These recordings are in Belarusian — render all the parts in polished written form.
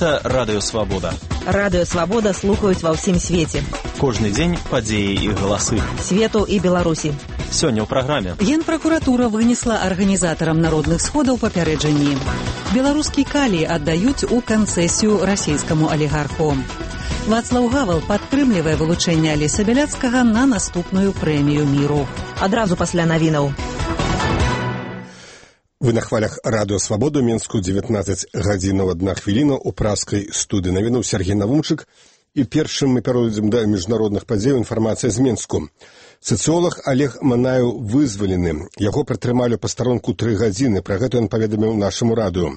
Гэта Радыё Свабода. Радыё Свабода слухаюць ва ўсім свеце. Кожны дзень падзеі і галасы. Свету і Беларусі. Сёння ў праграме. Генпракуратура вынесла арганізатарам народных сходаў папярэджанні. Беларускі калій аддаюць у канцэсію расійскаму алігарху. Вацлаў Гавал падтрымлівае вылучэнне Алеся Бяляцкага на наступную прэмію міру. Адразу пасля навінаў. Вы на хвалях Радыё Свабоду, Менску, 19 гадзінаў 1 хвіліна, у праскай студыі навінаў Сергей Навумчык. І першым мы перайдзем да міжнародных падзеяў, інфармацыя з Менску. Сацыолог Олег Манаеў вызвалены. Яго пратрымалі па старонку 3 гадзіны, пра гэта ён паведаміў нашаму радыё.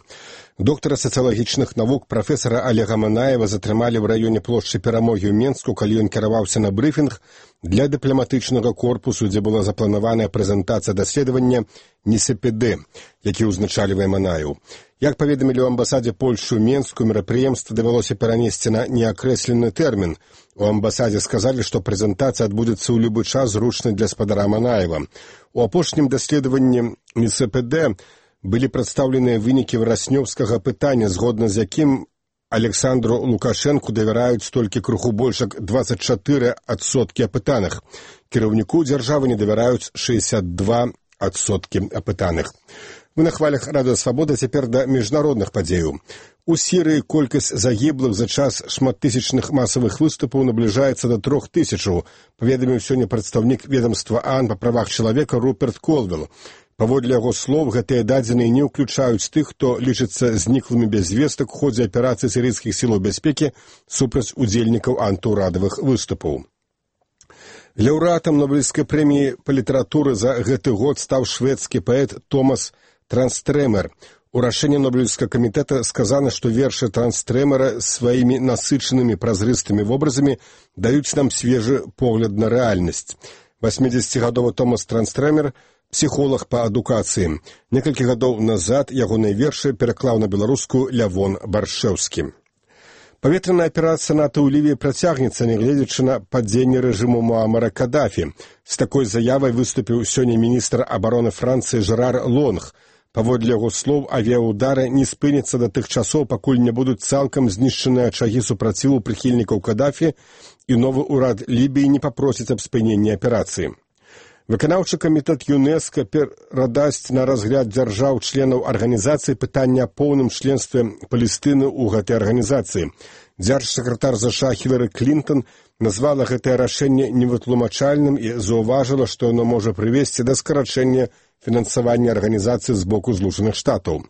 Доктара сацыялагічных навук прафесара Олега Манаева затрымалі ў раёне плошчы Перамогі ў Менску, калі ён кіраваўся на брыфінг для дыпламатычнага корпусу, дзе была запланаваная прэзентацыя даследавання НСПД, які ўзначальвае Манаеў. Як паведамілі ў амбасадзе Польшы ў Менску, мерапрыемства давялося перанесці на неакрэслены тэрмін. У амбасадзе сказалі, што прэзентацыя адбудзецца ў любы час зручны для спадара Манаева. У апошнім даследаванні НСПД былі прадстаўленыя вынікі вераснёўскага пытання, згодна з якім Александру Лукашэнку давяраюць толькі крыху больш як 24% апытаных. Кіраўніку дзяржавы не давяраюць 62% апытаных. Мы на хвалях Радыё Свабода, цяпер да міжнародных падзеяў. У Сірыі колькасць загіблых за час шматтысячных масавых выступаў набліжаецца да 3000, паведаміў сёння прадстаўнік ведамства ААН па правах чалавека Руперт Колвелл. Паводле яго слоў, гэтыя дадзеныя не ўключаюць тых, хто лічыцца зніклымі без вестак у ходзе аперацыі сірыйскіх сілаў бяспекі супраць удзельнікаў антыўрадавых выступаў. Лаўрэатам Нобелевскай прэміі па літаратуры за гэты год стаў шведскі паэт Томас Транстрэмер. У рашэнні Нобелевскага камітэта сказана, што вершы Транстрэмера сваімі насычанымі празрыстымі вобразамі даюць нам свежы погляд на рэальнасць. 80-гадовы Томас Транстрэмер – псіхолог па адукацыі. Некалькі гадоў назад ягоныя вершы пераклаў на беларускую Лявон Баршэўскі. Паветраная аперацыя НАТО ў Лівіі працягнецца, нягледзячы на падзенне рэжыму Муамара Кадафі. З такой заявай выступіў сёння міністр абароны Францыі Жерар Лонг. Паводле яго слоў, авіяўдары не спыняцца да тых часоў, пакуль не будуць цалкам знішчаныя ачагі супраціву прыхільнікаў Кадафі, і новы ўрад Лібіі не папросіць аб спыненні аперацыі. Выканаўчы камітэт ЮНЕСКО перадасць на разгляд дзяржаў-членаў арганізацыі пытання аб поўным членстве Палестыны ў гэтай арганізацыі. Дзяржсакратар ЗША Хілары Клінтон назвала гэтае рашэнне невытлумачальным і заўважыла, што яно можа прывесці да скарачэння фінансавання арганізацыі з боку Злучаных Штатаў.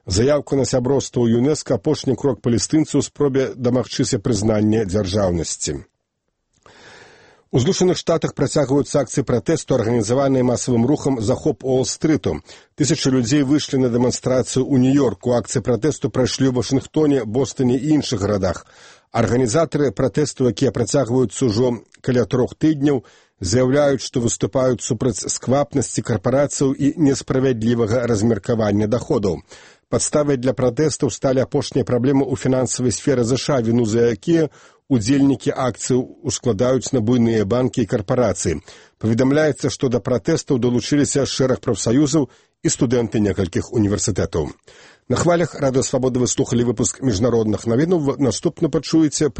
Заяўка на сяброўства ў ЮНЕСКО – апошні крок палестынцаў у спробе дамагчыся прызнання дзяржаўнасці. У Злучаных Штатах працягваюцца акцыі пратэсту, арганізаваныя масавым рухам «Захоп Уолл-стрыту». Тысячы людзей выйшлі на дэманстрацыю ў Нью-Йорку. Акцыі пратэсту прайшлі ў Вашынгтоне, Бостоне і іншых гарадах. Арганізатары пратэсту, якія працягваюцца ўжо каля 3 тыдняў, заяўляюць, што выступаюць супраць сквапнасці карпарацыяў і несправядлівага размеркавання даходаў. Падставай для пратэстаў сталі апошнія праблемы ў фінансавай сферы ЗША, віну за якія удзельнікі акцыі ускладаюць на буйныя банкі і карпарацыі. Паведамляецца, што да пратэстаў далучыліся шэраг прафсаюзаў і студэнты некалькіх універсітэтаў. На хвалях Радыё Свабода вы слухалі выпуск міжнародных навінаў. Наступна пачуеце